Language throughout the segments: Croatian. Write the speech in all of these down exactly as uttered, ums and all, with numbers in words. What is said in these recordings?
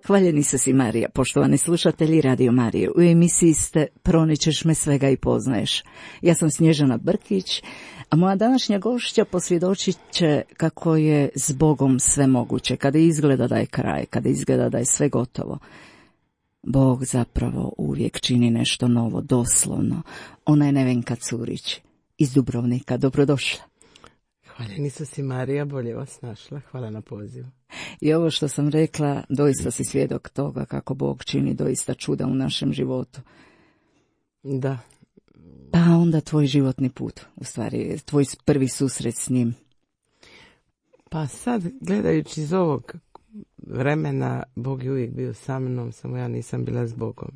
Hvaljeni se si Marija, poštovani slušatelji Radio Marije. U emisiji ste Proničeš me svega i poznaješ. Ja sam Snježana Brkić, a moja današnja gošća posvjedočit će kako je s Bogom sve moguće, kada izgleda da je kraj, kada izgleda da je sve gotovo. Bog zapravo uvijek čini nešto novo, doslovno. Ona je Nevenka Curić iz Dubrovnika. Dobrodošla. Hvaljeni su si Marija, bolje vas našla. Hvala na pozivu. I ovo što sam rekla, doista si svjedok toga kako Bog čini doista čuda u našem životu. Da. Pa onda tvoj životni put, u stvari, tvoj prvi susret s njim. Pa sad, gledajući iz ovog vremena, Bog je uvijek bio sa mnom, samo ja nisam bila s Bogom.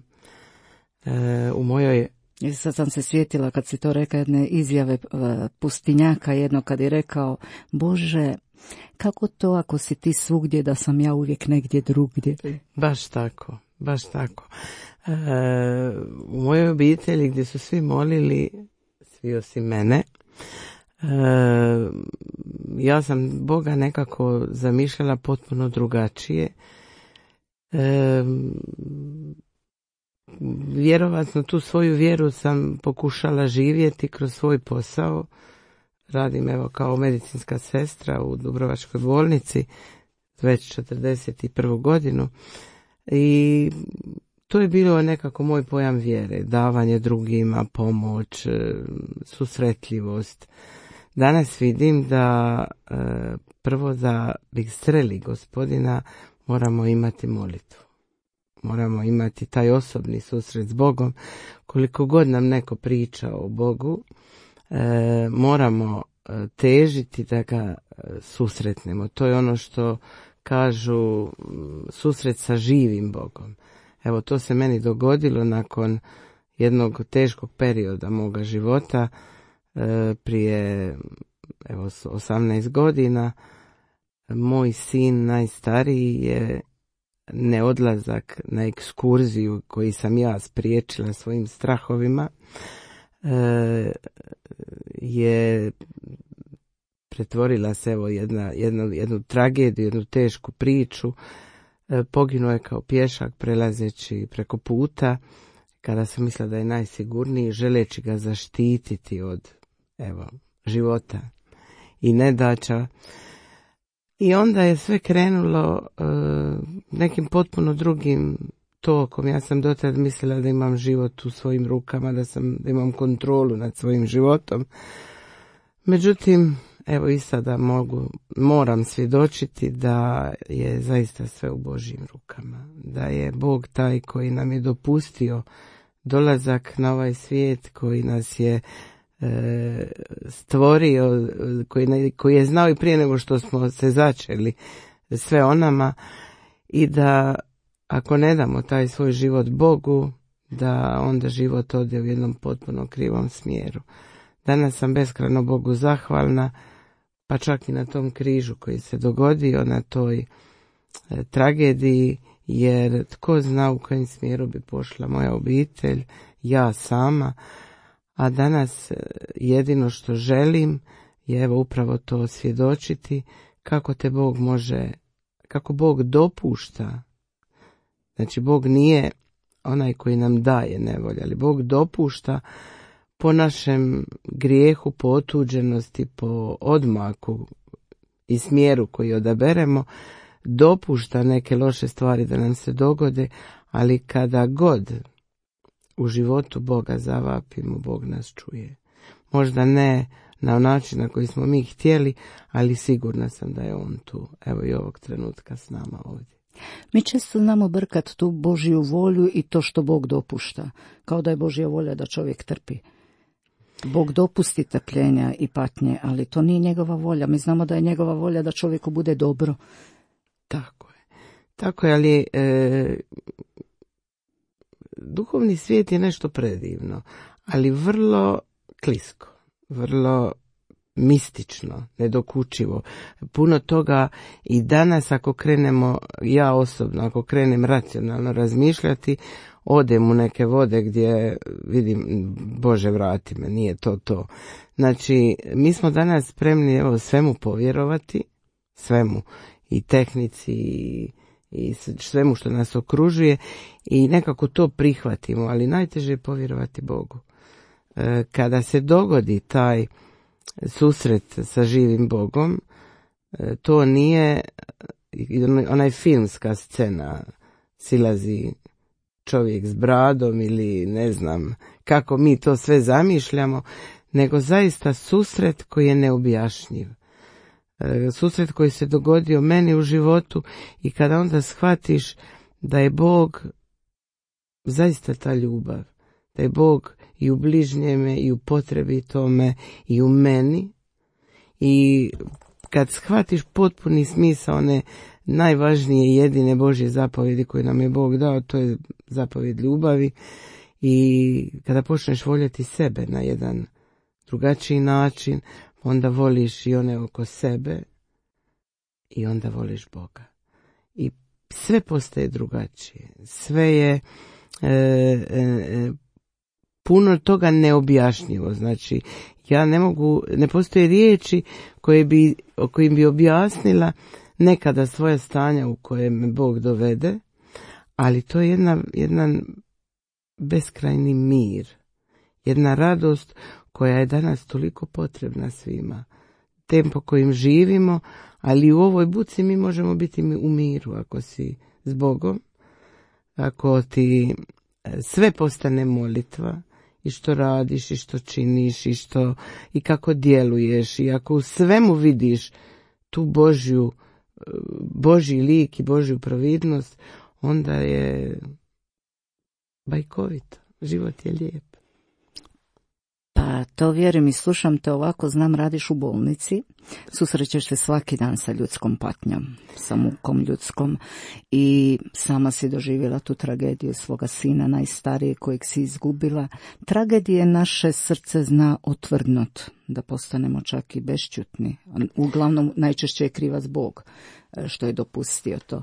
E, u mojoj... I sad sam se sjetila kad si to rekao, jedne izjave pustinjaka, jedno kad je rekao: Bože, kako to ako si ti svugdje, da sam ja uvijek negdje drugdje? Baš tako, baš tako. E, u mojoj obitelji gdje su svi molili, svi osim mene, e, ja sam Boga nekako zamišljala potpuno drugačije. E, vjerovatno tu svoju vjeru sam pokušala živjeti kroz svoj posao. Radim evo kao medicinska sestra u Dubrovačkoj bolnici već četrdeset prvu godinu i to je bilo nekako moj pojam vjere, davanje drugima, pomoć, susretljivost. Danas vidim da prvo da bi sreli Gospodina moramo imati molitvu. Moramo imati taj osobni susret s Bogom. Koliko god nam neko priča o Bogu, e, moramo težiti da ga susretnemo. To je ono što kažu susret sa živim Bogom. Evo, to se meni dogodilo nakon jednog teškog perioda moga života, e, prije evo, osamnaest godina. Moj sin najstariji je neodlazak na ekskurziju koji sam ja spriječila svojim strahovima e, je pretvorila se evo jedna, jedna, jednu tragediju, jednu tešku priču. E, poginuo je kao pješak prelazeći preko puta kada sam mislila da je najsigurniji, želeći ga zaštititi od evo, života i nedaća. I onda je sve krenulo uh, nekim potpuno drugim tokom. Ja sam dotad mislila da imam život u svojim rukama, da, sam, da imam kontrolu nad svojim životom. Međutim, evo i sada mogu, moram svjedočiti da je zaista sve u Božjim rukama. Da je Bog taj koji nam je dopustio dolazak na ovaj svijet, koji nas je E, stvorio, koji, koji je znao i prije nego što smo se začeli sve o nama, i da ako ne damo taj svoj život Bogu, da onda život ode u jednom potpuno krivom smjeru. Danas sam beskrajno Bogu zahvalna, pa čak i na tom križu koji se dogodio, na toj e, tragediji, jer tko zna u kojem smjeru bi pošla moja obitelj, ja sama. A danas jedino što želim je evo upravo to svjedočiti kako te Bog može, kako Bog dopušta. Znači Bog nije onaj koji nam daje nevolje, ali Bog dopušta po našem grijehu, po otuđenosti, po odmaku i smjeru koji odaberemo, dopušta neke loše stvari da nam se dogode, ali kada god u životu Boga zavapimo, Bog nas čuje. Možda ne na način na koji smo mi htjeli, ali sigurna sam da je On tu, evo i ovog trenutka s nama ovdje. Mi često znamo brkat tu Božju volju i to što Bog dopušta, kao da je Božja volja da čovjek trpi. Bog dopusti trpljenja i patnje, ali to nije njegova volja. Mi znamo da je njegova volja da čovjeku bude dobro. Tako je. Tako je, ali e, duhovni svijet je nešto predivno, ali vrlo klisko, vrlo mistično, nedokučivo. Puno toga i danas ako krenemo, ja osobno, ako krenem racionalno razmišljati, odem u neke vode gdje vidim, Bože vrati me, nije to to. Znači, mi smo danas spremni evo svemu povjerovati, svemu, i tehnici, i, i svemu što nas okružuje i nekako to prihvatimo, ali najteže je povjerovati Bogu. Kada se dogodi taj susret sa živim Bogom, to nije onaj filmska scena, silazi čovjek s bradom ili ne znam kako mi to sve zamišljamo, nego zaista susret koji je neobjašnjiv. Susret koji se dogodio meni u životu i kada onda shvatiš da je Bog zaista ta ljubav, da je Bog i u bližnjeme i u potrebitome i u meni, i kad shvatiš potpuni smisao one najvažnije i jedine Božje zapovjedi koje nam je Bog dao, to je zapovjed ljubavi, i kada počneš voljeti sebe na jedan drugačiji način, onda voliš i one oko sebe i onda voliš Boga. I sve postaje drugačije. Sve je e, e, puno toga neobjašnjivo. Znači, ja ne mogu, ne postoje riječi koje bi, o kojim bi objasnila nekada svoje stanja u koje me Bog dovede, ali to je jedna, jedan beskrajni mir, jedna radost koja je danas toliko potrebna svima. Tempo kojim živimo, ali u ovoj buci mi možemo biti u miru ako si s Bogom, ako ti sve postane molitva, i što radiš, i što činiš, i, što, i kako djeluješ, i ako u svemu vidiš tu Božju, Božji lik i Božju providnost, onda je bajkovito, život je lijep. Pa to vjerujem i slušam te ovako, znam radiš u bolnici, susrećeš se svaki dan sa ljudskom patnjom, sa mukom ljudskom, i sama si doživjela tu tragediju svoga sina najstarijeg kojeg si izgubila. Tragedije naše srce zna otvrdnut, da postanemo čak i bešćutni. Uglavnom najčešće je krivac Bog što je dopustio to.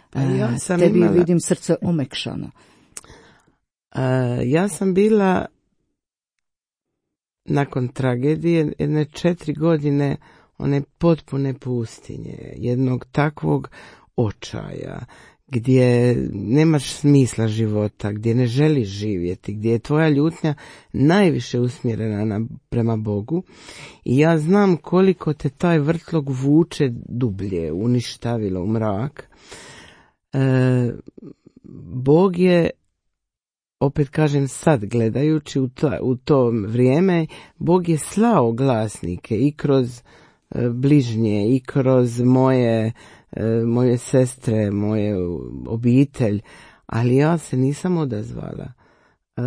Pa ja sam Tebi imala... vidim srce omekšano. A, ja sam bila nakon tragedije jedne četiri godine one potpune pustinje, jednog takvog očaja, gdje nemaš smisla života, gdje ne želiš živjeti, gdje je tvoja ljutnja najviše usmjerena na, prema Bogu, i ja znam koliko te taj vrtlog vuče dublje, uništavilo u mrak. E, Bog je, opet kažem sad gledajući u to, u to vrijeme, Bog je slao glasnike i kroz e, bližnje, i kroz moje, e, moje sestre, moje obitelj, ali ja se nisam odazvala. E,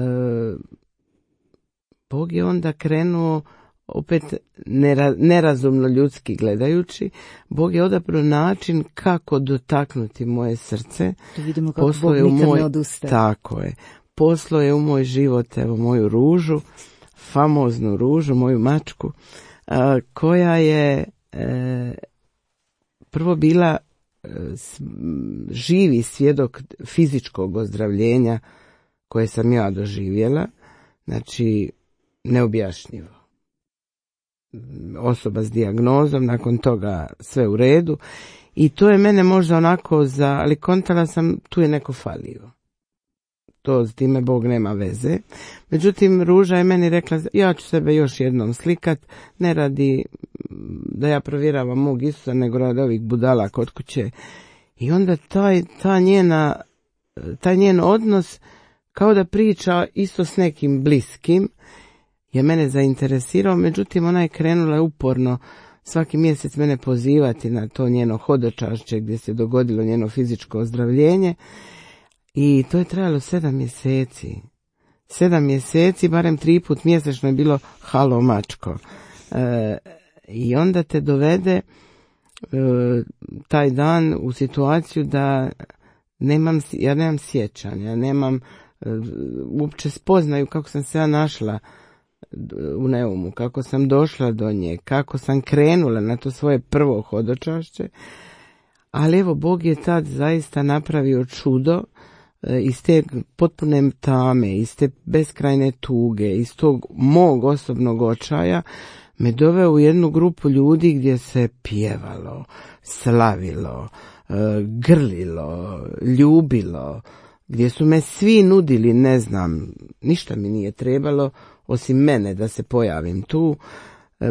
Bog je onda krenuo, opet nera, nerazumno ljudski gledajući, Bog je odabrao način kako dotaknuti moje srce. To vidimo kako Bog nikad moj, ne odustaje. Tako je. Poslao je u moj život, evo, moju ružu, famoznu ružu, moju mačku, a, koja je e, prvo bila e, s, živi svjedok fizičkog ozdravljenja koje sam ja doživjela, znači neobjašnjivo. Osoba s dijagnozom, nakon toga sve u redu, i to je mene možda onako za, ali kontala sam, tu je neko falio. To s time Bog nema veze. Međutim, ruža je meni rekla, ja ću sebe još jednom slikat, ne radi da ja provjeravam mog Isusa, nego radi ovih budala kod kuće. I onda taj, ta njena, taj njen odnos, kao da priča isto s nekim bliskim, je mene zainteresirao. Međutim, ona je krenula uporno svaki mjesec mene pozivati na to njeno hodočašće gdje se dogodilo njeno fizičko ozdravljenje. I to je trajalo sedam mjeseci. Sedam mjeseci, barem tri put mjesečno je bilo halo mačko. E, I onda te dovede e, taj dan u situaciju da nemam, ja nemam sjećanja, ja nemam e, uopće spoznaju kako sam se ja našla u Neumu, kako sam došla do nje, kako sam krenula na to svoje prvo hodočašće. Ali evo, Bog je tad zaista napravio čudo. Iz te potpune tame, iz te beskrajne tuge, iz tog mog osobnog očaja, me doveo u jednu grupu ljudi gdje se pjevalo, slavilo, grlilo, ljubilo, gdje su me svi nudili, ne znam, ništa mi nije trebalo, osim mene da se pojavim tu.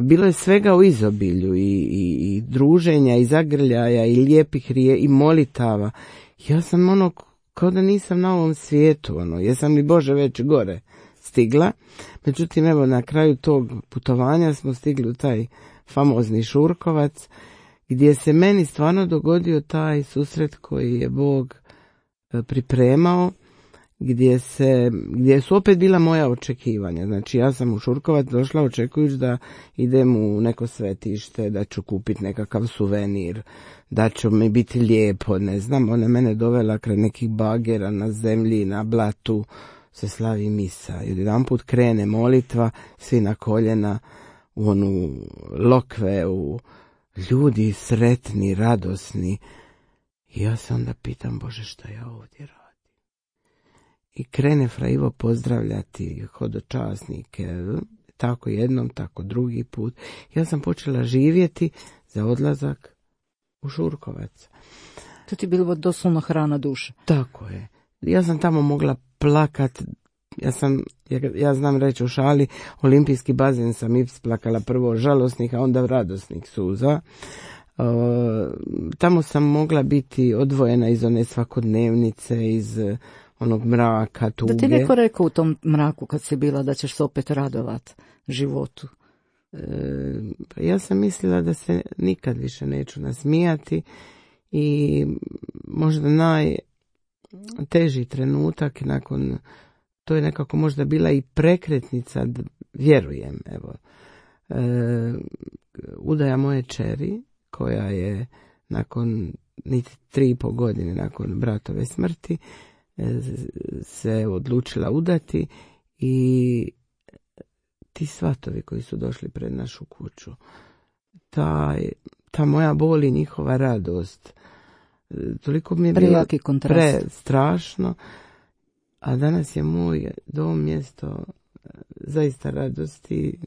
Bilo je svega u izobilju i, i, i druženja i zagrljaja i lijepih rije i molitava. Ja sam ono, kao da nisam na ovom svijetu, ono, jesam li Bože već gore stigla. Međutim, evo, na kraju tog putovanja smo stigli u taj famozni Šurkovac, gdje se meni stvarno dogodio taj susret koji je Bog pripremao, gdje se, gdje su opet bila moja očekivanja. Znači, ja sam u Šurkovac došla očekujući da idem u neko svetište, da ću kupiti nekakav suvenir, da će mi biti lijepo, ne znam. Ona mene dovela kraj nekih bagera na zemlji, na blatu, se slavi misa. I jedanput krene molitva, svi na koljena, u onu lokve, u ljudi sretni, radosni. I ja se onda pitam, Bože, šta ja ovdje radim? I krene Fra Ivo pozdravljati hodočasnike, tako jednom, tako drugi put. Ja sam počela živjeti za odlazak u Šurkovac. To ti je bilo doslovno hrana duše. Tako je. Ja sam tamo mogla plakat. Ja sam, ja, ja znam reći u šali, olimpijski bazen sam isplakala prvo žalosnih, a onda radosnih suza. Uh, tamo sam mogla biti odvojena iz one svakodnevnice, iz onog mraka, tuge. Da ti neko rekao u tom mraku kad si bila da ćeš se opet radovat životu? E, ja sam mislila da se nikad više neću nasmijati i možda najteži trenutak nakon, to je nekako možda bila i prekretnica, vjerujem, evo, e, udaja moje čeri, koja je nakon niti tri i po godine nakon bratove smrti se odlučila udati, i ti svatovi koji su došli pred našu kuću, taj, ta moja bol i njihova radost, toliko mi je bilo prestrašno, a danas je moj dom mjesto zaista radosti,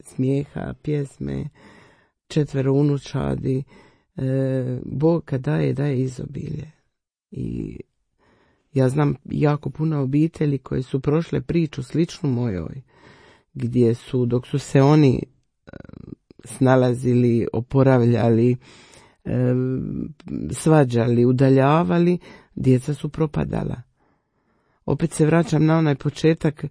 smijeha, pjesme, četvero unučadi. e, Bog kad daje, daje izobilje. I ja znam jako puno obitelji koje su prošle priču sličnu mojoj, gdje su, dok su se oni snalazili, oporavljali, svađali, udaljavali, djeca su propadala. Opet se vraćam na onaj početak,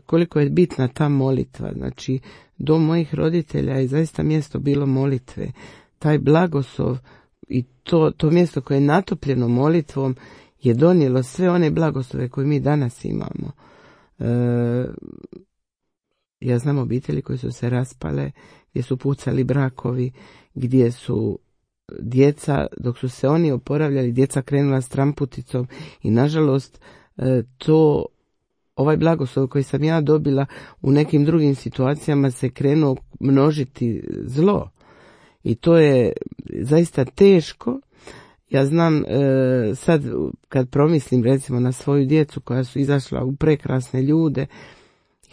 koliko je bitna ta molitva. Znači, dom mojih roditelja je zaista mjesto bilo molitve. Taj blagoslov i to, to mjesto koje je natopljeno molitvom je donijelo sve one blagoslove koje mi danas imamo. E, ja znam obitelji koje su se raspale, gdje su pucali brakovi, gdje su djeca, dok su se oni oporavljali, djeca krenula s tramputicom i nažalost e, to, ovaj blagoslov koji sam ja dobila u nekim drugim situacijama se krenuo množiti zlo. I to je zaista teško. Ja znam, e, sad kad promislim recimo na svoju djecu koja su izašla u prekrasne ljude,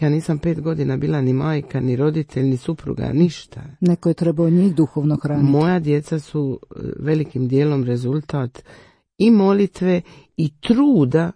ja nisam pet godina bila ni majka, ni roditelj, ni supruga, ništa. Neko je trebao njih duhovno hraniti. Moja djeca su velikim dijelom rezultat i molitve i truda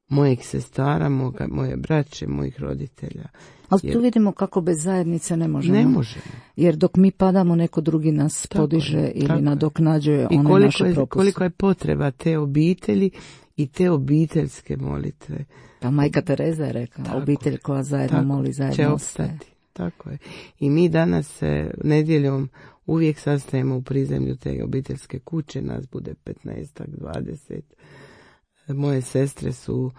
mojeg sestara, moga, moje braće, mojih roditelja. Ali jer tu vidimo kako bez zajednice ne možemo. Ne možemo. Jer dok mi padamo, neko drugi nas tako podiže je, ili nadoknađuje one koliko naše je, propuste. Koliko je potreba te obitelji i te obiteljske molitve. Pa majka Tereza je rekla, tako, obitelj koja zajedno tako, moli, zajedno će opstati. Tako je. I mi danas se nedjeljom uvijek sastajemo u prizemlju te obiteljske kuće, nas bude petnaest, dvadeset. Moje sestre su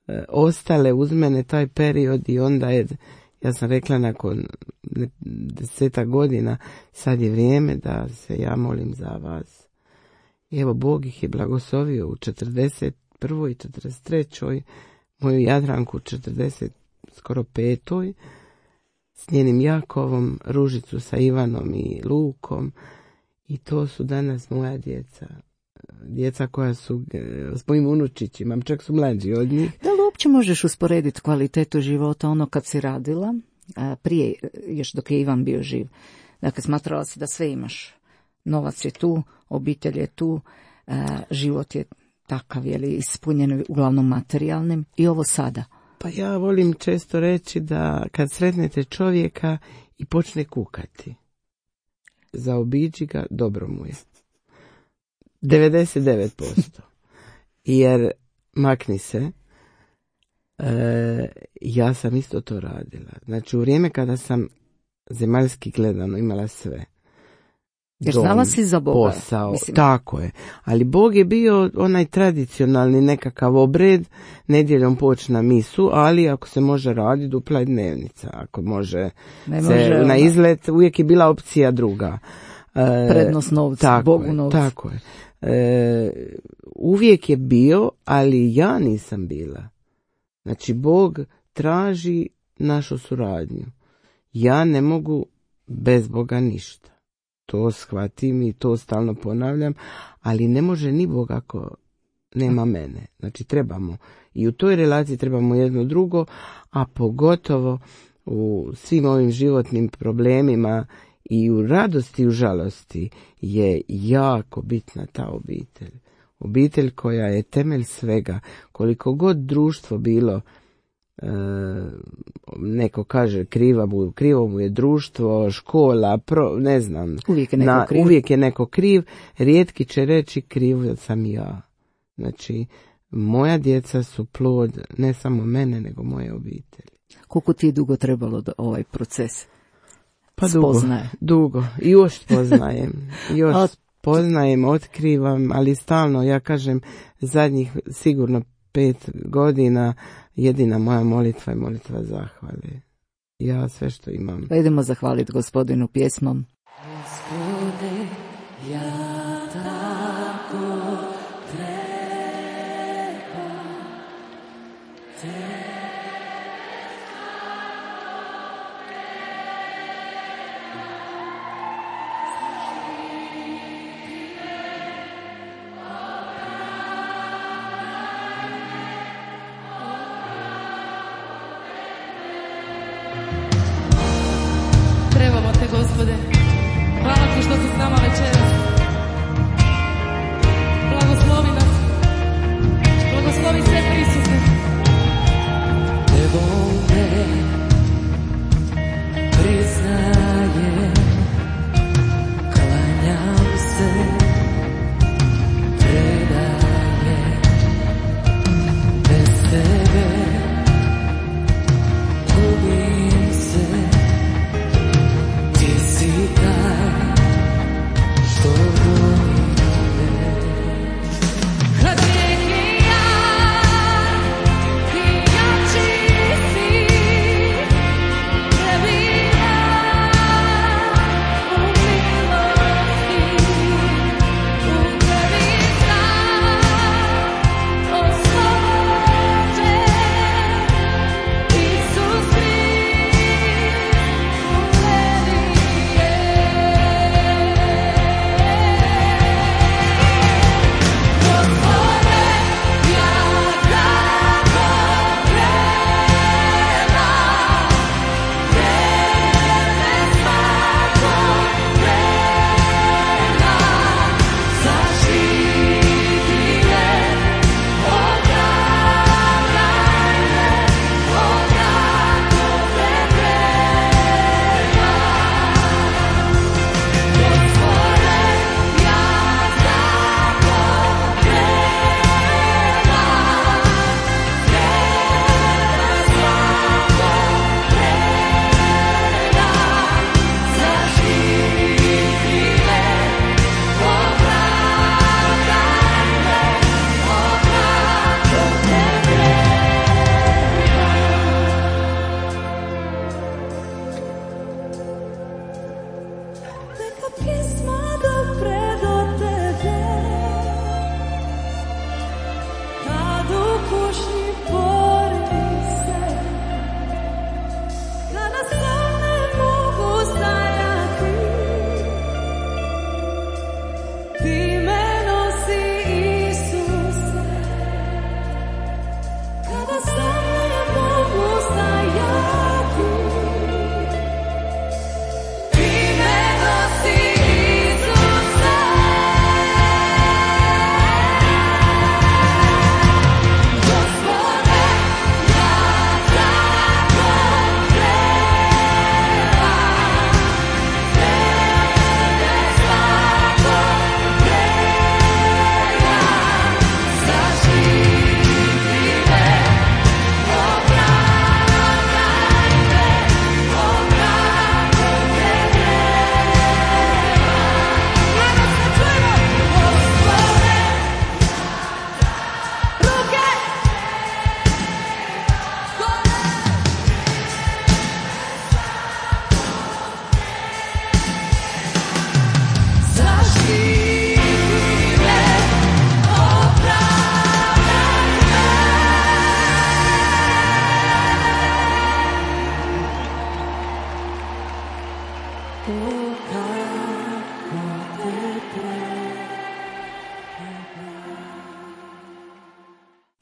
e, ostale uz mene taj period i onda je, ja sam rekla nakon deseta godina, sad je vrijeme da se ja molim za vas. I evo, Bog ih je blagoslovio u četrdeset prvoj i četrdeset trećoj moju Jadranku u četrdeset skoro petoj s njenim Jakovom, Ružicu sa Ivanom i Lukom, i to su danas moja djeca. Djeca koja su s mojim unučićima, čak su mlađi od njih. Da li uopće možeš usporediti kvalitetu života ono kad si radila prije, još dok je Ivan bio živ. Dakle, smatrala si da sve imaš. Novac je tu, obitelj je tu, život je takav, je li, ispunjen uglavnom materijalnim, i ovo sada. Pa ja volim često reći da kad sretnete čovjeka i počne kukati, zaobiđi ga, dobro mu je. devedeset devet posto. Jer makni se, e, ja sam isto to radila. Znači u vrijeme kada sam zemaljski gledano imala sve. Jer znala si za Boga. Posao, mislim. Tako je. Ali Bog je bio onaj tradicionalni nekakav obred, nedjeljom poći na misu, ali ako se može raditi, dupla je dnevnica. Ako može, ne se može na izlet, uvijek je bila opcija druga. E, Prednost novca, Bogu novca. Tako je. E, uvijek je bio, ali ja nisam bila. Znači Bog traži našu suradnju. Ja ne mogu bez Boga ništa. To shvatim i to stalno ponavljam, ali ne može ni Bog ako nema mene. Znači trebamo i u toj relaciji trebamo jedno drugo, a pogotovo u svim ovim životnim problemima i u radosti i u žalosti je jako bitna ta obitelj. Obitelj koja je temelj svega. Koliko god društvo bilo, e, neko kaže kriva mu, krivo mu je društvo, škola, pro, ne znam. Uvijek je neko na, kriv. Uvijek je neko kriv. Rijetki će reći kriv sam ja. Znači, moja djeca su plod ne samo mene, nego moje obitelji. Koliko ti je dugo trebalo da ovaj proces pa spoznaje? Dugo, dugo. I još poznajem. Još A... poznajem, otkrivam, ali stalno, ja kažem, zadnjih sigurno pet godina jedina moja molitva je molitva zahvale. Ja sve što imam. Pa idemo zahvaliti Gospodinu pjesmom. Gospode, ja tako treba te. Trebamo te, Gospode. Hvala ti što si s nama večeras. Blagoslovi nas. Blagoslovi sve prisutne. Evo me, priznajem, klanjam se, predajem, bez tebe gubim se. Ti si taj što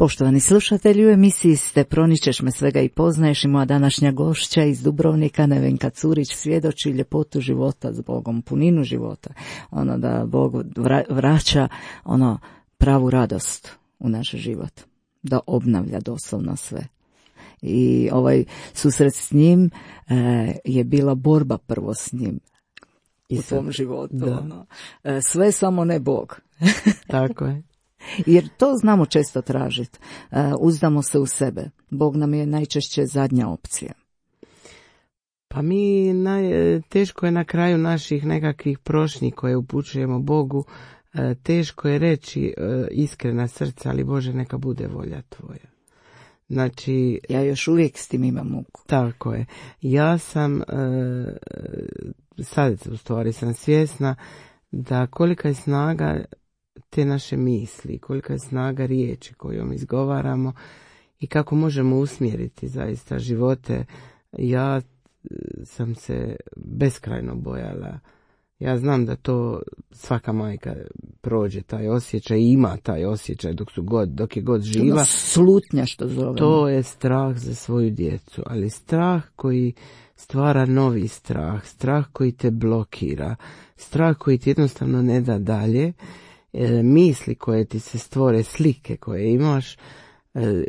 Poštovani slušatelji, u emisiji ste Proničeš me svega i poznaješ i moja današnja gošća iz Dubrovnika, Nevenka Curić, svjedoči ljepotu života s Bogom, puninu života. Ono da Bog vra- vraća ono pravu radost u naš život, da obnavlja doslovno sve. I ovaj susret s njim e, je bila borba prvo s njim u svom životu. Ono. E, sve samo ne Bog. Tako je. Jer to znamo često tražiti. E, uzdamo se u sebe. Bog nam je najčešće zadnja opcija. Pa mi naj, teško je na kraju naših nekakvih prošnji koje upućujemo Bogu, e, teško je reći e, iskrena srca, ali Bože neka bude volja tvoja. Znači, ja još uvijek s tim imam muku. Tako je. Ja sam, e, sad u stvari sam svjesna da kolika je snaga te naše misli, kolika je snaga riječi kojom izgovaramo i kako možemo usmjeriti zaista živote. Ja sam se beskrajno bojala. Ja znam da to svaka majka prođe taj osjećaj i ima taj osjećaj dok su god, dok je god živa. Ono slutnja što zovemo. To je strah za svoju djecu, ali strah koji stvara novi strah, strah koji te blokira, strah koji ti jednostavno ne da dalje, e, misli koje ti se stvore, slike koje imaš, e,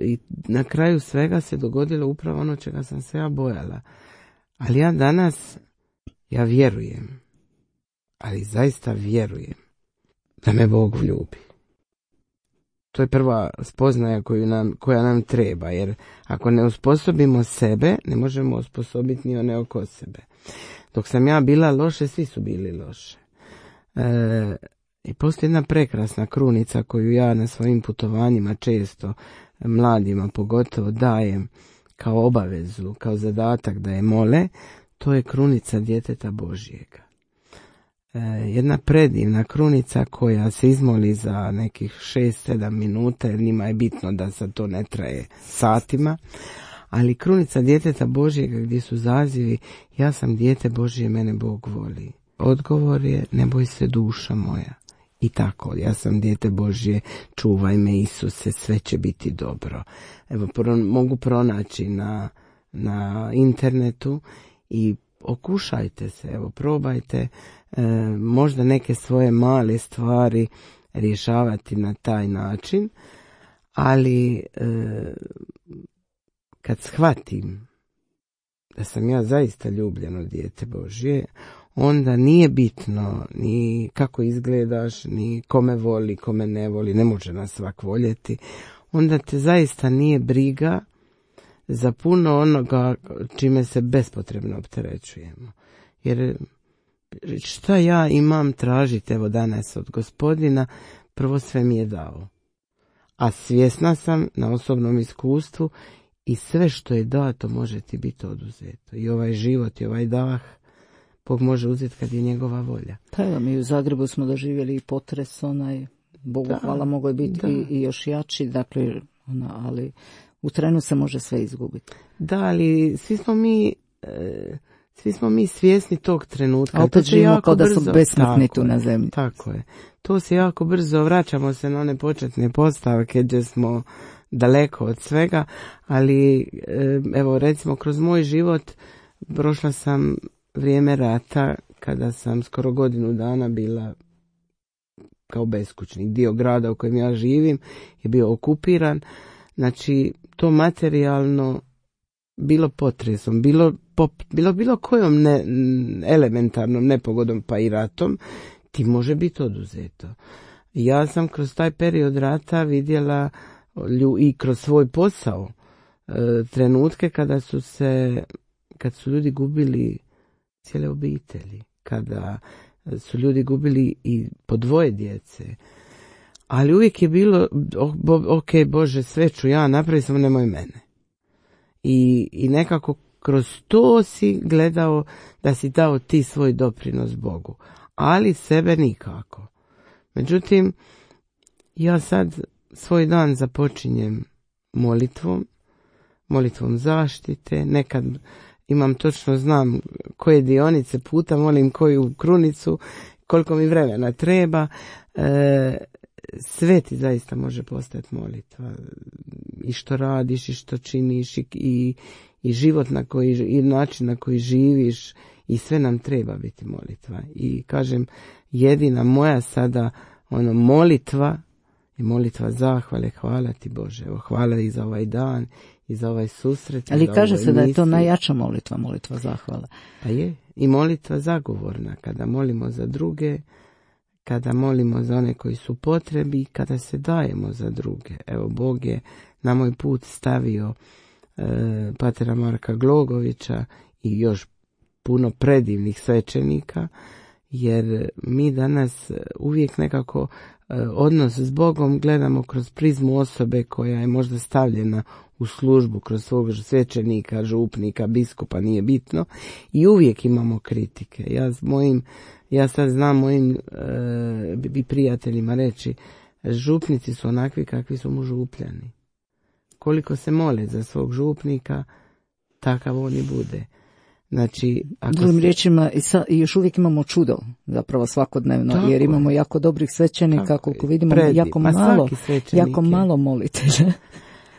i na kraju svega se dogodilo upravo ono čega sam se ja bojala. Ali ja danas, ja vjerujem, ali zaista vjerujem da me Bog ljubi. To je prva spoznaja koju nam, koja nam treba, jer ako ne osposobimo sebe, ne možemo osposobiti ni one oko sebe. Dok sam ja bila loše, svi su bili loše. E, I postoji jedna prekrasna krunica koju ja na svojim putovanjima često mladima pogotovo dajem kao obavezu, kao zadatak da je mole, to je krunica djeteta Božjega. Jedna predivna krunica koja se izmoli za nekih šest sedam minuta, jer njima je bitno da sad to ne traje satima, ali krunica djeteta Božjega gdje su zazivi ja sam dijete Božje, mene Bog voli. Odgovor je ne boj se duša moja. I tako, ja sam dijete Božje, čuvaj me Isuse, sve će biti dobro. Evo, pro, mogu pronaći na, na internetu i okušajte se, evo, probajte e, možda neke svoje male stvari rješavati na taj način, ali e, kad shvatim da sam ja zaista ljubljeno dijete Božje, onda nije bitno ni kako izgledaš, ni kome voli, kome ne voli, ne može nas svak voljeti, onda te zaista nije briga za puno onoga čime se bespotrebno opterećujemo. Jer šta ja imam tražiti evo danas od Gospodina, prvo sve mi je dao. A svjesna sam na osobnom iskustvu i sve što je dato može ti biti oduzeto. I ovaj život i ovaj dah Bog može uzeti kad je njegova volja. Pa evo, mi u Zagrebu smo doživjeli i potres, onaj, Bogu da, hvala, mogao je biti i, i još jači, dakle, ona, ali u trenu se može sve izgubiti. Da, ali svi smo mi, e, svi smo mi svjesni tog trenutka. A opet živimo kao da su besmrtni tu na zemlji. Tako je. To se jako brzo, vraćamo se na one početne postavke gdje smo daleko od svega, ali e, evo recimo kroz moj život prošla sam vrijeme rata kada sam skoro godinu dana bila kao beskućnik. Dio grada u kojem ja živim je bio okupiran. Znači, to materijalno bilo potresom, bilo, pop, bilo, bilo kojom ne, elementarnom nepogodom pa i ratom, ti može biti oduzeto. Ja sam kroz taj period rata vidjela lju, i kroz svoj posao e, trenutke kada su se, kad su ljudi gubili cijele obitelji, kada su ljudi gubili i po dvoje djece. Ali uvijek je bilo, ok, Bože, sve ću ja napraviti, samo nemoj mene. I, I nekako kroz to si gledao da si dao ti svoj doprinos Bogu. Ali sebe nikako. Međutim, ja sad svoj dan započinjem molitvom, molitvom zaštite, nekad imam točno, znam koje dionice puta, molim koju krunicu, koliko mi vremena treba. E, sve ti zaista može postati molitva. I što radiš, i što činiš, i, i, i život na koji, i način na koji živiš, i sve nam treba biti molitva. I kažem, jedina moja sada ono molitva i molitva zahvale, hvala ti Bože, evo, hvala i za ovaj dan, i za ovaj susret. Ali kaže se da je to najjača molitva, molitva zahvala. Pa je, i molitva zagovorna, kada molimo za druge, kada molimo za one koji su potrebi, kada se dajemo za druge. Evo, Bog je na moj put stavio e, patera Marka Glogovića i još puno predivnih svećenika, jer mi danas uvijek nekako e, odnos s Bogom gledamo kroz prizmu osobe koja je možda stavljena u službu kroz svog svećenika, župnika, biskupa, nije bitno, i uvijek imamo kritike. Ja s mojim, ja sad znam mojim e, prijateljima reći, župnici su onakvi kakvi su mu župljani. Koliko se mole za svog župnika, takav on i bude. Znači, ako drugim se... riječima, i, sa, i još uvijek imamo čudo, zapravo svakodnevno, tako jer imamo je. jako dobrih svećenika, tako koliko je. vidimo, Predi. jako Ma malo, jako je. malo molitelja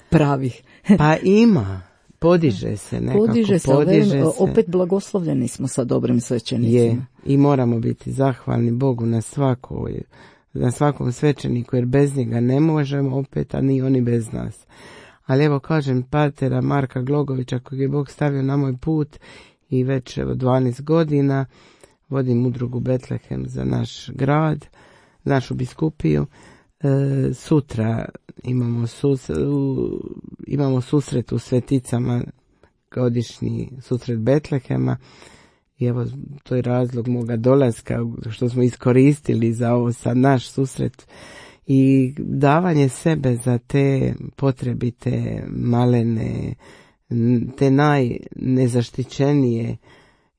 pravih. Pa ima, podiže se nekako, Podiže se, podiže velim, se. opet blagoslovljeni smo sa dobrim svećenicima. Je, i moramo biti zahvalni Bogu na svakoj, na svakom svećeniku, jer bez njega ne možemo opet, a ni oni bez nas. Ali evo kažem, patera Marka Glogovića, kojeg je Bog stavio na moj put, i već evo dvanaest godina vodim udrugu Betlehem za naš grad, našu biskupiju. E, sutra imamo, sus, u, imamo susret u Sveticama, godišnji susret Betlehema, i evo to je razlog moga dolaska što smo iskoristili za ovo sad naš susret, i davanje sebe za te potrebite, malene, te najnezaštićenije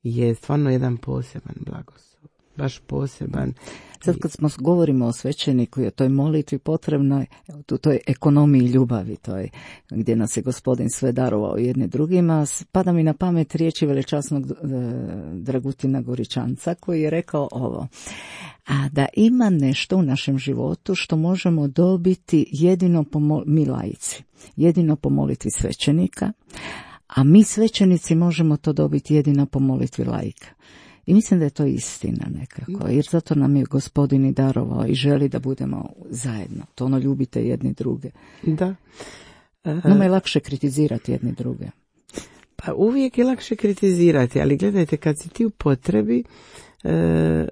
je stvarno jedan poseban blagoslov. Baš poseban. Sad kad smo govorimo o svećeniku i o toj molitvi potrebnoj, u toj ekonomiji ljubavi, toj, gdje nas je Gospodin sve darovao jedni drugima, pada mi na pamet riječi veličasnog Dragutina Goričanca, koji je rekao ovo: a da ima nešto u našem životu što možemo dobiti jedino po mol- mi laici, jedino po molitvi svećenika, a mi svećenici možemo to dobiti jedino po molitvi laika. I mislim da je to istina nekako, jer zato nam je Gospodin i darovao i želi da budemo zajedno. To ono, ljubite jedni druge. Da. Nama je lakše kritizirati jedni druge. Pa uvijek je lakše kritizirati, ali gledajte, kad si ti u potrebi, e,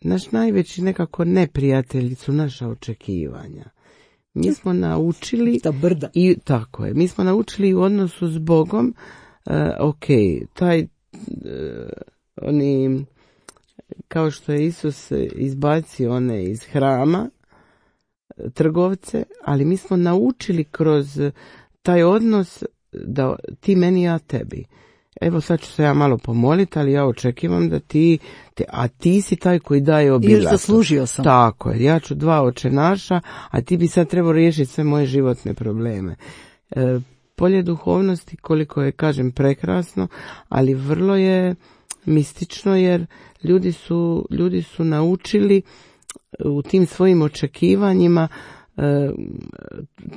naš najveći nekako neprijatelji su naša očekivanja. Mi smo naučili... Ta brda. I, tako je, mi smo naučili u odnosu s Bogom, e, ok, taj oni, kao što je Isus izbacio one iz hrama, trgovce, ali mi smo naučili kroz taj odnos da ti meni, ja tebi. Evo sad ću se ja malo pomoliti, ali ja očekivam da ti, te, a ti si taj koji daje obilato. I još zaslužio sam. Tako je, ja ću dva oče naša, a ti bi sad trebao riješiti sve moje životne probleme. E, polje duhovnosti, koliko je, kažem, prekrasno, ali vrlo je mistično, jer ljudi su, ljudi su naučili u tim svojim očekivanjima, e,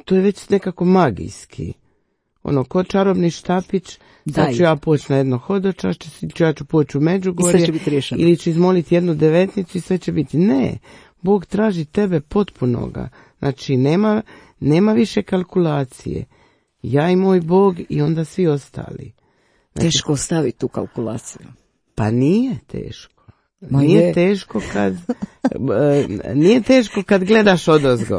to je već nekako magijski. Ono, ko čarobni štapić, sad ću ja poći na jedno hodočašće, ja ću poći u Međugorje, ili ću izmoliti jednu devetnicu i sve će biti. Ne, Bog traži tebe potpunoga. Znači, nema, nema više kalkulacije. Ja i moj Bog i onda svi ostali. Znači, teško ostaviti tu kalkulaciju. Pa nije teško. Ma nije je. teško kad nije teško kad gledaš odozgo.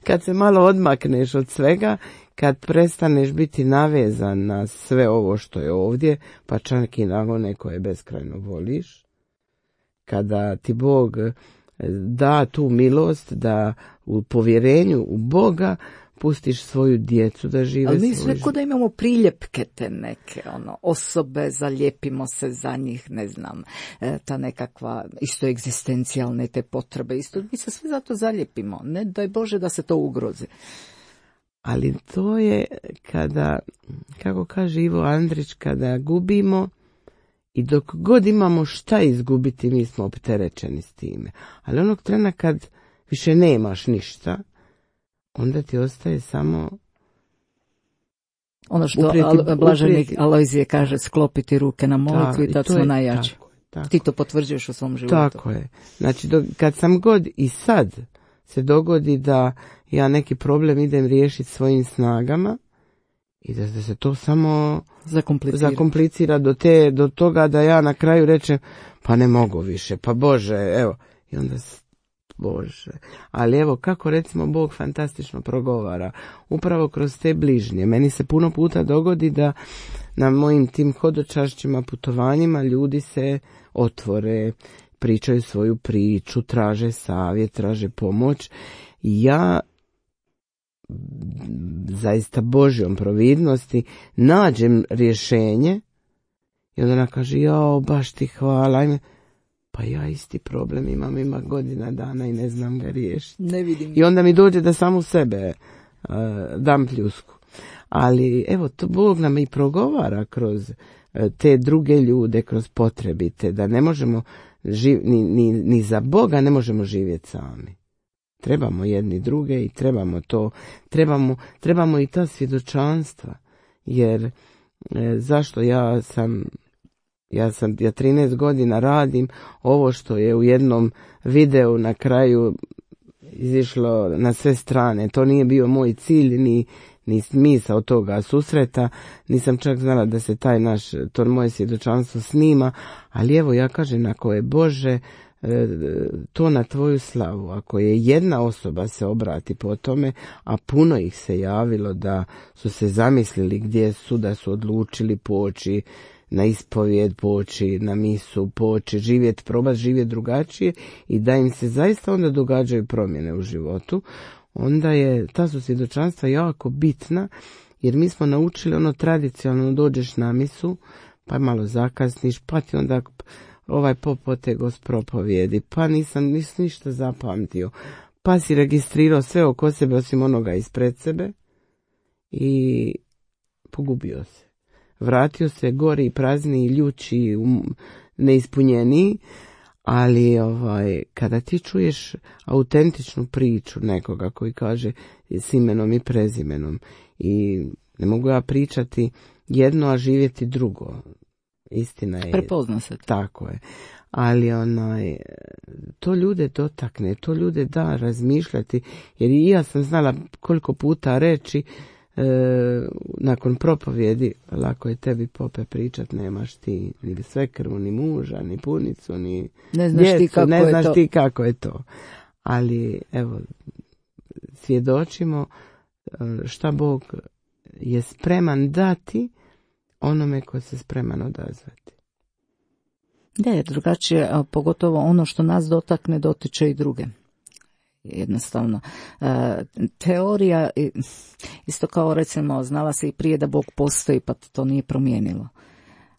Kad se malo odmakneš od svega, kad prestaneš biti navezan na sve ovo što je ovdje, pa čak i na one koje beskrajno voliš. Kada ti Bog da tu milost da u povjerenju u Boga pustiš svoju djecu da žive svoj život. Ali mi sve kod da imamo priljepke te neke ono, osobe, zalijepimo se za njih, ne znam, ta nekakva isto egzistencijalne te potrebe, isto mi se sve zato zalijepimo, ne daj Bože da se to ugrozi. Ali to je kada, kako kaže Ivo Andrić, kada gubimo I dok god imamo šta izgubiti, mi smo opterećeni s time. Ali onog trena kad više nemaš ništa, onda ti ostaje samo ono što uprijeti, Al- blaženik uprijeti. Alojzije kaže, sklopiti ruke na molitvu Da, i i tad to smo je- najjači. tako je, tako. Ti to potvrđuješ u svom životu. Tako je. Znači, dok, kad sam god i sad se dogodi da ja neki problem idem riješiti svojim snagama i da se to samo Zakomplicira. zakomplicira do, te, do toga da ja na kraju rečem pa ne mogu više, pa Bože, evo. I onda, s- Bože. Ali evo, kako recimo Bog fantastično progovara. Upravo kroz te bližnje. Meni se puno puta dogodi da na mojim tim hodočašćima, putovanjima ljudi se otvore, pričaju svoju priču, traže savjet, traže pomoć. I ja zaista Božjom providnosti nađem rješenje i onda ona kaže, jao, baš ti hvala, ajme. Pa ja isti problem imam, ima godina dana i ne znam ga riješiti. Ne vidim. I onda mi dođe da sam u sebe uh, dam pljusku. Ali evo, to Bog nam i progovara kroz uh, te druge ljude, kroz potrebite, da ne možemo živ, ni, ni, ni za Boga ne možemo živjeti sami. Trebamo jedni druge i trebamo to, trebamo, trebamo i ta svjedočanstva, jer e, zašto ja sam, ja sam, ja trinaest godina radim ovo što je u jednom videu na kraju izišlo na sve strane, to nije bio moj cilj, ni, ni smisao toga susreta, nisam čak znala da se taj naš, to moje svjedočanstvo snima, ali evo ja kažem, ako je Bože, to na tvoju slavu, ako je jedna osoba se obrati po tome, a puno ih se javilo da su se zamislili gdje su, da su odlučili poći na ispovijed, poći na misu, poći živjeti, probati živjeti drugačije i da im se zaista onda događaju promjene u životu, onda je ta su svjedočanstva jako bitna, jer mi smo naučili ono tradicionalno, dođeš na misu, pa malo zakasniš, pa ti onda ovaj pop otegos propovijedi, pa nisam, nisam ništa zapamtio, pa si registrirao sve oko sebe osim onoga ispred sebe i pogubio se. Vratio se gori, prazniji, ljući, um, neispunjeniji, ali ovaj, kada ti čuješ autentičnu priču nekoga koji kaže s imenom i prezimenom i ne mogu ja pričati jedno, a živjeti drugo. Istina je. Prepozna se. Tako je. Ali onaj, to ljude dotakne, to ljude da razmišljati, jer i ja sam znala koliko puta reći e, nakon propovjedi, lako je tebi pope pričat, nemaš ti ni svekrvu, ni muža, ni punicu, ni Ne znaš djecu, ti kako ne je znaš to. ti kako je to. Ali evo, svjedočimo šta Bog je spreman dati onome ko se spreman odazvati. Da, jer drugačije, a pogotovo ono što nas dotakne, dotiče i druge. Jednostavno. E, teorija, i- isto kao recimo, znala se i prije da Bog postoji, pa to nije promijenilo.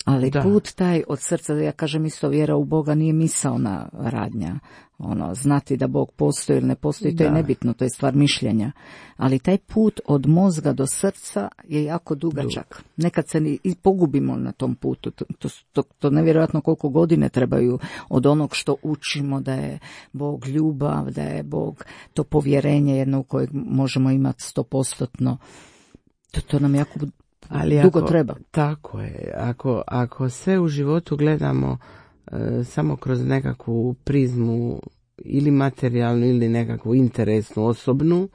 Ali Da. put taj od srca, ja kažem isto, vjera u Boga nije misaona radnja. Ono, znati da Bog postoji ili ne postoji, to je Da. nebitno, to je stvar mišljenja. Ali taj put od mozga do srca je jako dugačak. Nekad se ni- i pogubimo na tom putu. To, to, to, to nevjerojatno koliko godine trebaju od onog što učimo da je Bog ljubav, da je Bog to povjerenje jedno u kojeg možemo imati stopostotno. To, to nam jako Ali dugo ako, treba. Tako je. Ako, ako sve u životu gledamo e, samo kroz nekakvu prizmu ili materijalnu ili nekakvu interesnu, osobnu,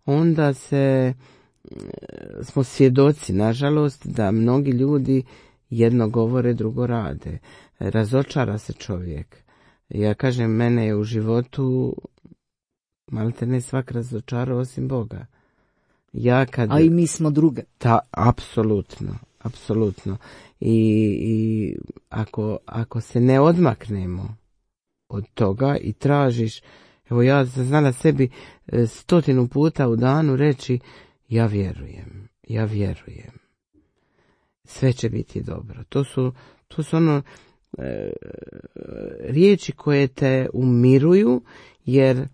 onda se e, smo svjedoci, nažalost, da mnogi ljudi jedno govore, drugo rade. Razočara se čovjek. Ja kažem, mene je u životu malte ne svak razočarao osim Boga. Ja kad... A i mi smo druge. Ta, apsolutno, apsolutno. I, i ako, ako se ne odmaknemo od toga i tražiš, evo ja sam znala sebi e, stotinu puta u danu reći, ja vjerujem, ja vjerujem. Sve će biti dobro. To su, to su ono e, riječi koje te umiruju, jer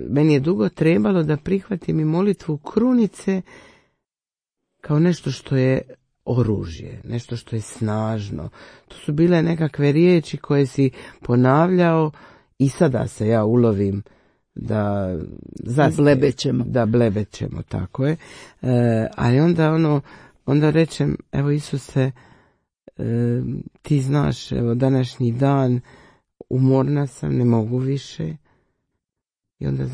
meni je dugo trebalo da prihvatim i molitvu krunice kao nešto što je oružje, nešto što je snažno. To su bile nekakve riječi koje si ponavljao i sada se ja ulovim da zaspe, blebećemo. Da blebećemo, tako je. E, ali onda ono, onda rečem, evo Isuse, e, ti znaš, evo današnji dan, umorna sam, ne mogu više. I onda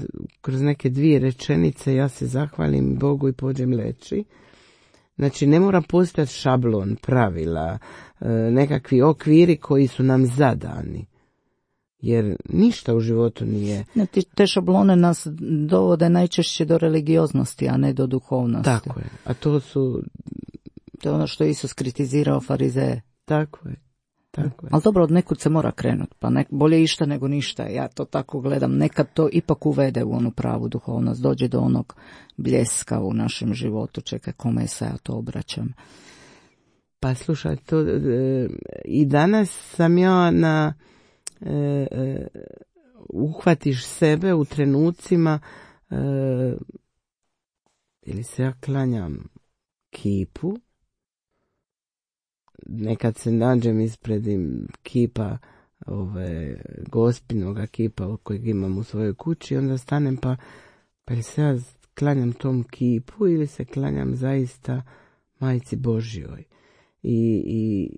kroz neke dvije rečenice ja se zahvalim Bogu i pođem leći. Znači ne mora postojati šablon, pravila, e, nekakvi okviri koji su nam zadani. Jer ništa u životu nije... Te šablone nas dovode najčešće do religioznosti, a ne do duhovnosti. Tako je. A to su... To je ono što je Isus kritizirao farizeje. Tako je. Tako je. Ali dobro, od nekud se mora krenuti, pa nek, bolje išta nego ništa. Ja to tako gledam. Nekad to ipak uvede u onu pravu duhovnost. Dođe do onog bljeska u našem životu. Čekaj, kome se ja to obraćam? Pa slušaj, to, e, i danas sam ja na... E, e, uhvatiš sebe u trenucima e, ili se ja klanjam kipu, nekad se nađem ispred kipa ove gospinoga kipa kojeg imam u svojoj kući, onda stanem pa pa ili se ja klanjam tom kipu ili se klanjam zaista Majci Božjoj. I, i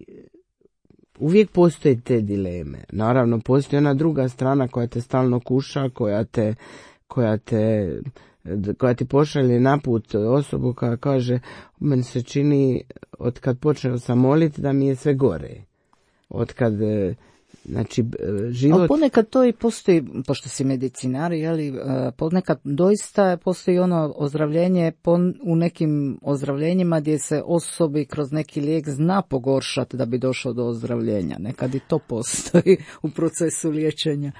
uvijek postoje te dileme. Naravno, postoji ona druga strana koja te stalno kuša, koja te, koja te, koja ti pošalje naput osobu koja kaže, meni se čini od kad počeo sam moliti da mi je sve gore. Od kad, znači, život... Ali ponekad to i postoji, pošto si medicinar, jeli, ponekad doista postoji ono ozdravljenje u nekim ozdravljenjima gdje se osobi kroz neki lijek zna pogoršati da bi došao do ozdravljenja. Nekad i to postoji u procesu liječenja.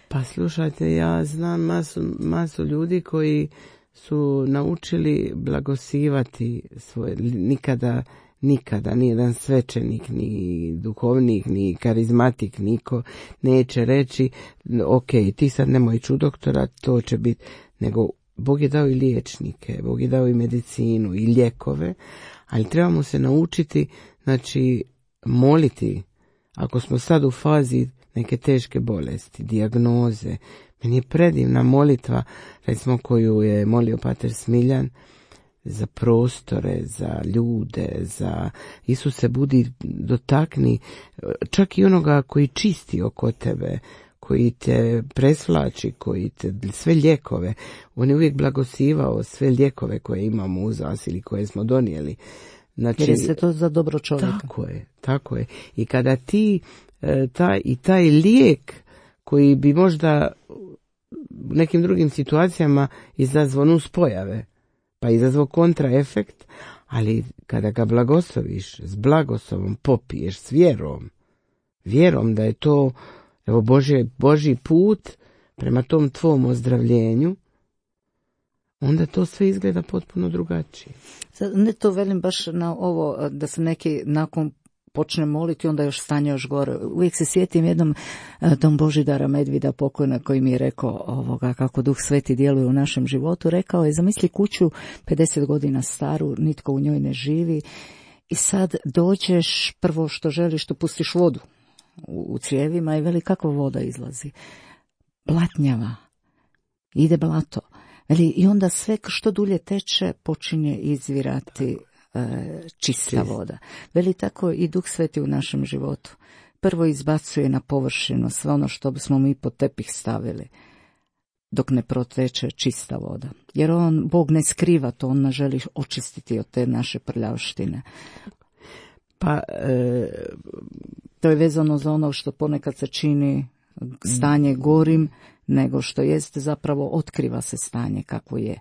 Pa slušajte, ja znam masu, masu ljudi koji su naučili blagosivati svoje, nikada Nikada, ni jedan svećenik, ni duhovnik, ni karizmatik, niko neće reći, ok, ti sad nemoj ići u doktora, to će biti, nego Bog je dao i liječnike, Bog je dao i medicinu, i lijekove, ali trebamo se naučiti, znači, moliti, ako smo sad u fazi neke teške bolesti, dijagnoze. Meni je predivna molitva, recimo koju je molio pater Smiljan, za prostore, za ljude, za Isuse budi, dotakni čak i onoga koji čisti oko tebe, koji te presvlači, koji te, sve lijekove. On je uvijek blagosivao sve lijekove koje imamo uz nas ili koje smo donijeli. Znači, jer je sve to za dobro čovjeka. Tako je, tako je. I kada ti taj, i taj lijek koji bi možda u nekim drugim situacijama izazvao nuspojave, pa izazvao kontraefekt, ali kada ga blagosloviš, s blagoslovom popiješ, s vjerom, vjerom da je to, evo, Božje, Božji put prema tom tvom ozdravljenju, onda to sve izgleda potpuno drugačije. Ne to velim baš na ovo, da se neki nakon počne moliti, onda još stanje još gore. Uvijek se sjetim jednom tom Božidara Medvida pokojna koji mi je rekao ovoga kako Duh Sveti djeluje u našem životu. Rekao je, zamisli kuću pedeset godina staru, nitko u njoj ne živi i sad dođeš, prvo što želiš, to pustiš vodu u, u crijevima i veli kakva voda izlazi. Blatnjava. Ide blato. Veli, i onda sve što dulje teče počinje izvirati čista voda. Veli tako i Duh Sveti u našem životu. Prvo izbacuje na površinu sve ono što bismo mi pod tepih stavili, dok ne proteče čista voda. Jer on, Bog ne skriva to, on nas želi očistiti od te naše prljavštine. Pa, e... to je vezano za ono što ponekad se čini stanje gorim, nego što jest zapravo otkriva se stanje kako je.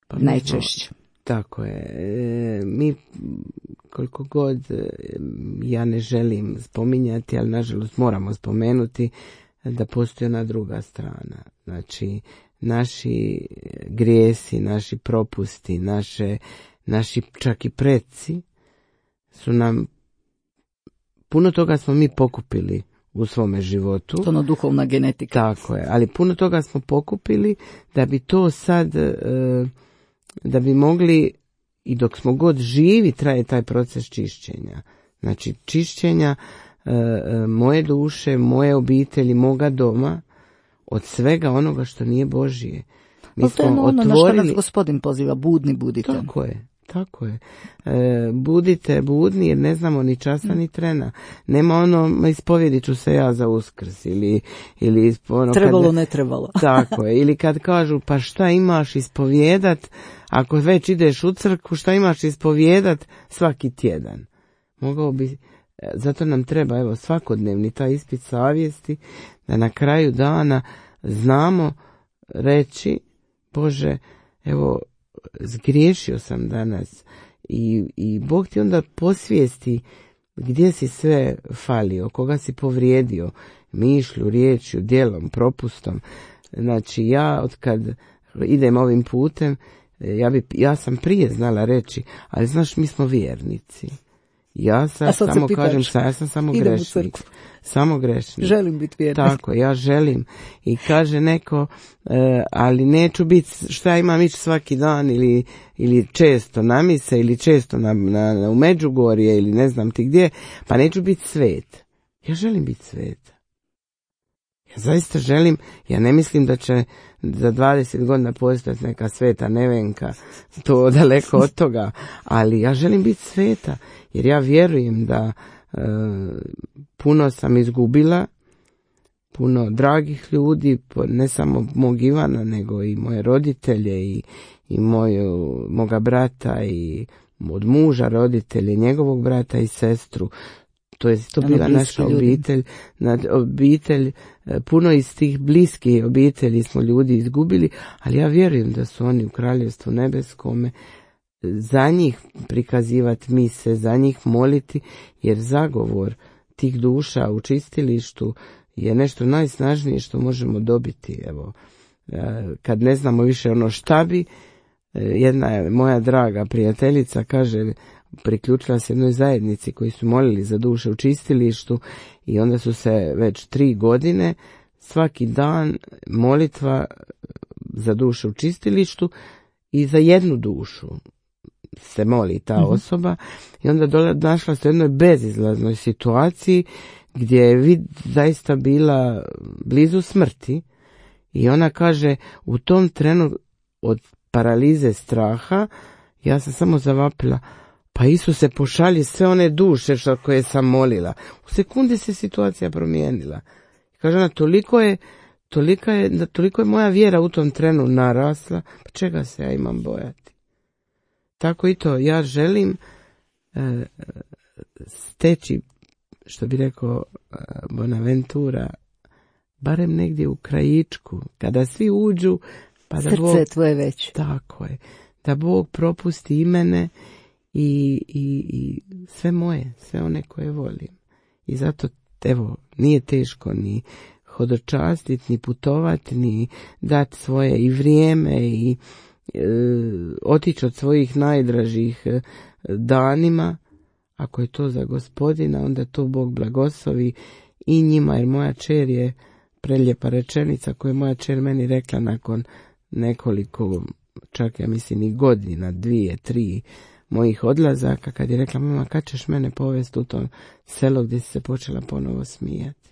Pa najčešće. Tako je. E, mi koliko god e, ja ne želim spominjati, ali nažalost moramo spomenuti da postoji ona druga strana. Znači, naši grijesi, naši propusti, naše, naši čak i preci su nam, puno toga smo mi pokupili u svome životu. To ono duhovna genetika. Tako je, ali puno toga smo pokupili da bi to sad... E, da bi mogli i dok smo god živi traje taj proces čišćenja. Znači čišćenja e, e, moje duše, moje obitelji, moga doma od svega onoga što nije Božije. Mi to je smo ono otvorili... na što nas Gospodin poziva, budni budite. Tako je, tako je. E, budite budni jer ne znamo ni časa ni trena. Nema ono, ispovjedit ću se ja za Uskrs ili... ili ono, trebalo, kad, ne trebalo. Tako je, ili kad kažu pa šta imaš ispovjedat, ako već ideš u crkvu, šta imaš ispovjedat svaki tjedan. Mogao bi, zato nam treba evo svakodnevni taj ispit savjesti, da na kraju dana znamo reći, Bože, evo, zgriješio sam danas i, i Bog ti onda posvijesti gdje si sve falio, koga si povrijedio, mišlju, riječju, djelom, propustom. Znači ja od kad idem ovim putem, ja, bi, ja sam prije znala reći, ali znaš, mi smo vjernici. Ja sam samo kažem, sa, ja sam samo grešnik. Samo grešnik. Želim biti vjernik. Tako, ja želim. I kaže neko, e, ali neću biti, šta imam ići svaki dan ili, ili često na mise ili često na, na, na, u Međugorje ili ne znam ti gdje, pa neću biti svet. Ja želim biti svet. Ja zaista želim, ja ne mislim da će za dvadeset godina postati neka sveta Nevenka, to daleko od toga, ali ja želim biti sveta, jer ja vjerujem da e, puno sam izgubila, puno dragih ljudi, ne samo mog Ivana, nego i moje roditelje i, i moju, moga brata i od muža roditelje, njegovog brata i sestru. To je to bila naša obitelj, obitelj, puno iz tih bliskih obitelji smo ljudi izgubili, ali ja vjerujem da su oni u Kraljevstvu nebeskome, za njih prikazivati mise, za njih moliti, jer zagovor tih duša u čistilištu je nešto najsnažnije što možemo dobiti. Evo, kad ne znamo više ono šta bi, jedna moja draga prijateljica kaže, priključila se jednoj zajednici koji su molili za duše u čistilištu i onda su se već tri godine svaki dan molitva za duše u čistilištu i za jednu dušu se moli ta mm-hmm. osoba i onda dola, našla se u jednoj bezizlaznoj situaciji gdje je vid zaista bila blizu smrti i ona kaže u tom trenu od paralize straha ja sam samo zavapila, pa Isuse pošalji sve one duše što koje sam molila. U sekundi se situacija promijenila. Kaže ona, toliko je, toliko je, toliko je moja vjera u tom trenu narasla, pa čega se ja imam bojati. Tako i to, ja želim e, steći, što bi rekao e, Bonaventura, barem negdje u krajičku, kada svi uđu, pa da srce Bog, tvoje već. Tako je, da Bog propusti i mene i, i, i sve moje, sve one koje volim. I zato, evo, nije teško ni hodočastiti, ni putovati, ni dati svoje i vrijeme i e, otići od svojih najdražih e, danima. Ako je to za Gospodina, onda to Bog blagoslovi i njima, jer moja čer je preljepa rečenica koju je moja čer meni rekla nakon nekoliko, čak ja mislim i godina, dvije, tri mojih odlazaka, kad je rekla, mama, kad ćeš mene povesti u to selo gdje si se počela ponovo smijati.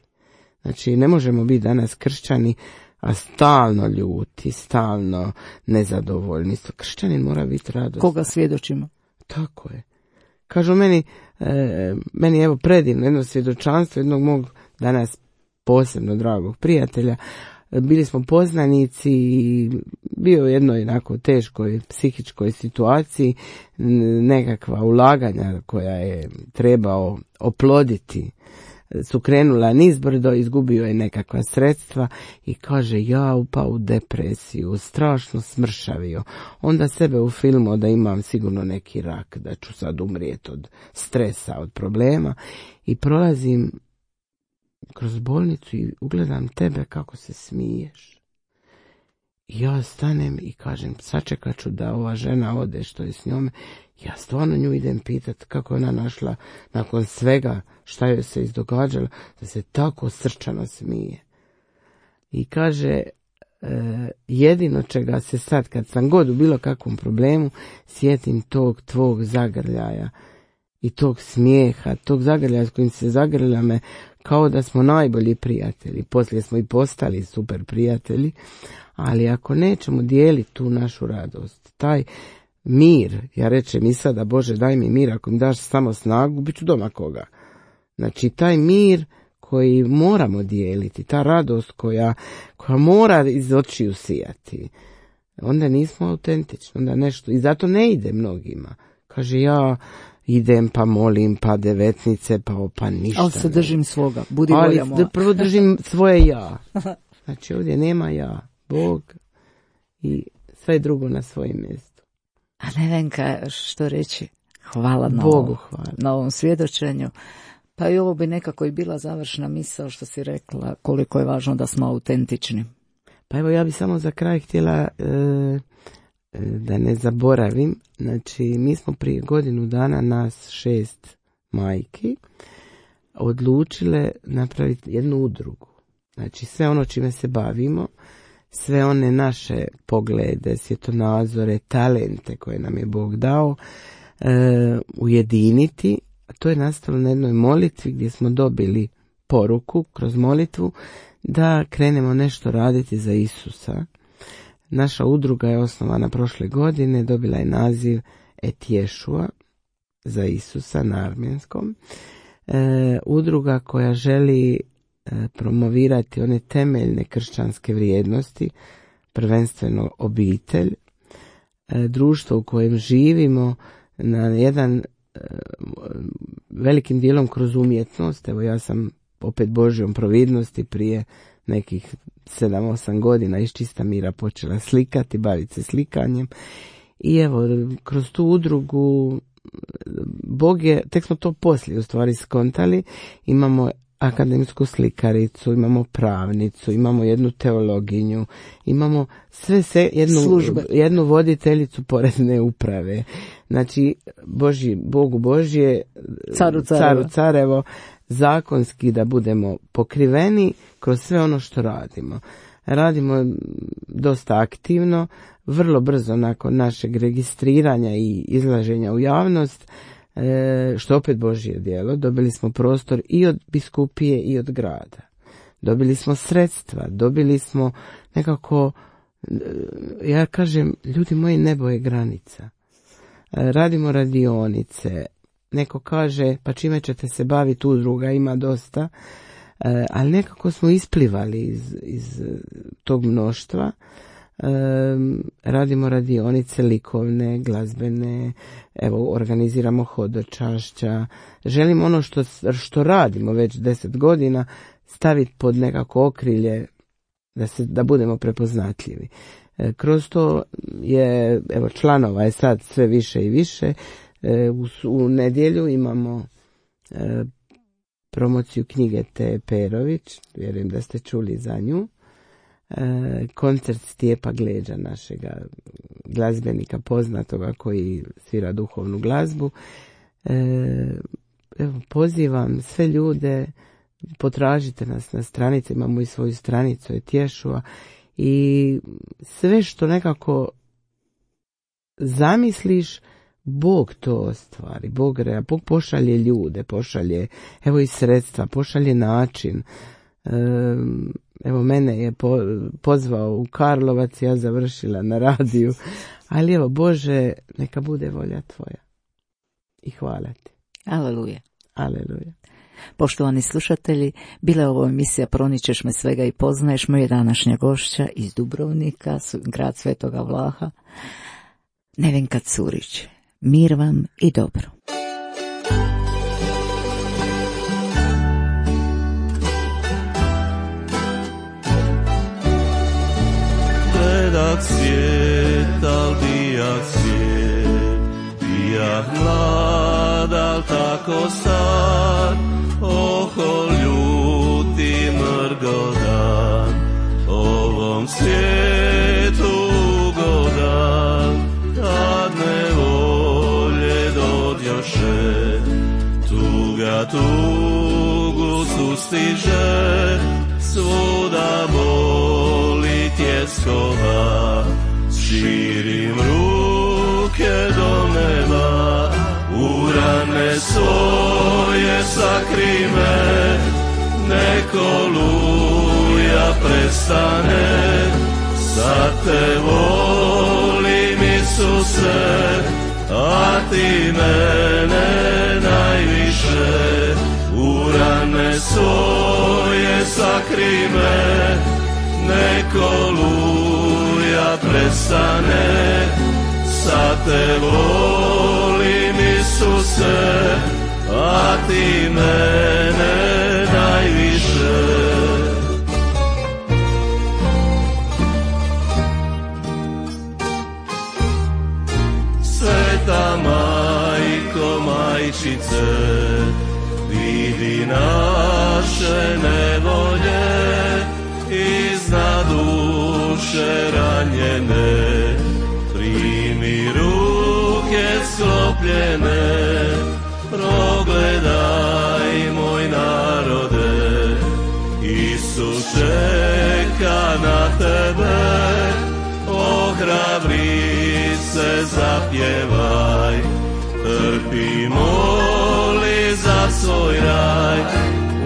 Znači, ne možemo biti danas kršćani, a stalno ljuti, stalno nezadovoljni. Kršćanin mora biti radostan. Koga svjedočimo? Tako je. Kažu meni, e, meni evo predivno jedno svjedočanstvo jednog mog danas posebno dragog prijatelja. Bili smo poznanici i bio u jednoj onako teškoj psihičkoj situaciji, nekakva ulaganja koja je trebao oploditi su krenula nizbrdo, izgubio je nekakva sredstva i kaže, ja upao u depresiju, strašno smršavio. Onda sebe ufilmao da imam sigurno neki rak, da ću sad umrijeti od stresa, od problema i prolazim kroz bolnicu i ugledam tebe kako se smiješ. I ja stanem i kažem, sačekat ću da ova žena ode što je s njome. Ja stvarno nju idem pitat kako je ona našla nakon svega šta joj se izdogađalo, da se tako srčano smije. I kaže, e, jedino čega se sad, kad sam god u bilo kakvom problemu, sjetim tog tvog zagrljaja i tog smijeha, tog zagrljaja s kojim se zagrlja me kao da smo najbolji prijatelji. Poslije smo i postali super prijatelji, ali ako nećemo dijeliti tu našu radost, taj mir, ja rečem i sada, Bože daj mi mir, ako mi daš samo snagu, bit ću doma koga. Znači taj mir koji moramo dijeliti, ta radost koja, koja mora iz očiju sijati, onda nismo autentični, onda nešto, i zato ne ide mnogima. Kaže, ja idem pa molim, pa devetnice, pa pa ništa. Ali se držim svoga, budi ali volja moja. Prvo držim svoje ja. Znači ovdje nema ja, Bog i sve drugo na svojim mjestu. A Nevenka, što reći? Hvala na, Bogu ovom, hvala. na ovom svjedočenju. Pa i ovo bi nekako i bila završna misao što si rekla, koliko je važno da smo autentični. Pa evo ja bi samo za kraj htjela e, da ne zaboravim, znači mi smo prije godinu dana nas šest majki odlučile napraviti jednu udrugu. Znači sve ono čime se bavimo, sve one naše poglede, svjetonazore, talente koje nam je Bog dao, e, ujediniti. To je nastalo na jednoj molitvi gdje smo dobili poruku kroz molitvu da krenemo nešto raditi za Isusa. Naša udruga je osnovana prošle godine, dobila je naziv Et Ješua za Isusa na armenskom. E, udruga koja želi e, promovirati one temeljne kršćanske vrijednosti, prvenstveno obitelj, e, društvo u kojem živimo na jedan e, velikim dijelom kroz umjetnost. Evo ja sam opet Božjom providnosti prije nekih sedam osam godina iz čista mira počela slikati, baviti se slikanjem. I evo, kroz tu udrugu Bog je, tek smo to poslije u stvari skontali, imamo akademsku slikaricu, imamo pravnicu, imamo jednu teologinju, imamo sve se, jednu, jednu voditeljicu porezne uprave. Znači, Božji, Bogu Božje, caru, caru carevo, zakonski da budemo pokriveni kroz sve ono što radimo. Radimo dosta aktivno, vrlo brzo nakon našeg registriranja i izlaženja u javnost, što opet Božje djelo, dobili smo prostor i od biskupije i od grada. Dobili smo sredstva, dobili smo nekako, ja kažem, ljudi moji, nebo je granica. Radimo radionice, neko kaže, pa čime ćete se baviti, udruga ima dosta, ali nekako smo isplivali iz, iz tog mnoštva. Radimo radionice likovne, glazbene, evo organiziramo hodočašća. Želimo ono što, što radimo već deset godina staviti pod nekako okrilje da, se, da budemo prepoznatljivi. Kroz to je, evo, članova je sad sve više i više. U, u nedjelju imamo e, promociju knjige Te Perović, vjerujem da ste čuli za nju. E, koncert Stjepa Gleđa, našega glazbenika poznatoga koji svira duhovnu glazbu. E, evo, pozivam sve ljude, potražite nas na stranici, imamo i svoju stranicu Et Ješua, i sve što nekako zamisliš, Bog to ostvari, Bog, rea, Bog pošalje ljude, pošalje evo i sredstva, pošalje način. Evo, mene je po, pozvao u Karlovac, ja završila na radiju, ali evo, Bože, neka bude volja tvoja. I hvala ti. Aleluja. Aleluja. Poštovani slušatelji, bila je ovo emisija Proničeš me svega i poznaješ, moja današnja gošća iz Dubrovnika, grad Svetoga Vlaha, Nevenka Curić. Mir vam i dobro. Gledak svijet, al bijak svijet, bijak mlad, al tako star, oho ljuti mrgodan, ovom svijetu ugodan, kad nevolje dodjoše, tuga tugu sustiže, svuda boli tjesno. nebeskova, širim ruke do neba, u rane svoje sakri me, neko oluja prestane, sad te volim Isuse, a ti mene najviše, u rane svoje sakri me, neko oluja prestane, sad te volim Isuse, a ti mene najviše. Sveta majko, majčice, vidi naše nevolje, iznad duše ranjene, primi ruke sklopljene, progledaj moj narode, Isus čeka na tebe, ohrabri se, zapjevaj, trpi, moli za svoj raj,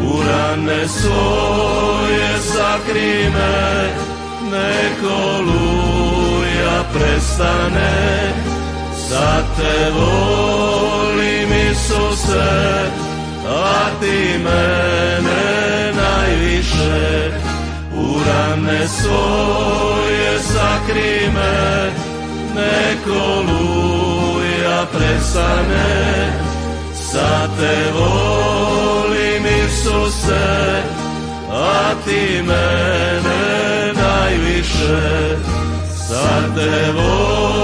u rane svoje sakri me, neko oluja prestane, sad te volim Isuse, a ti mene najviše, u rane svoje sakri me, neko oluja prestane, sad te volim Isuse, a ti mene najviše, sad te volim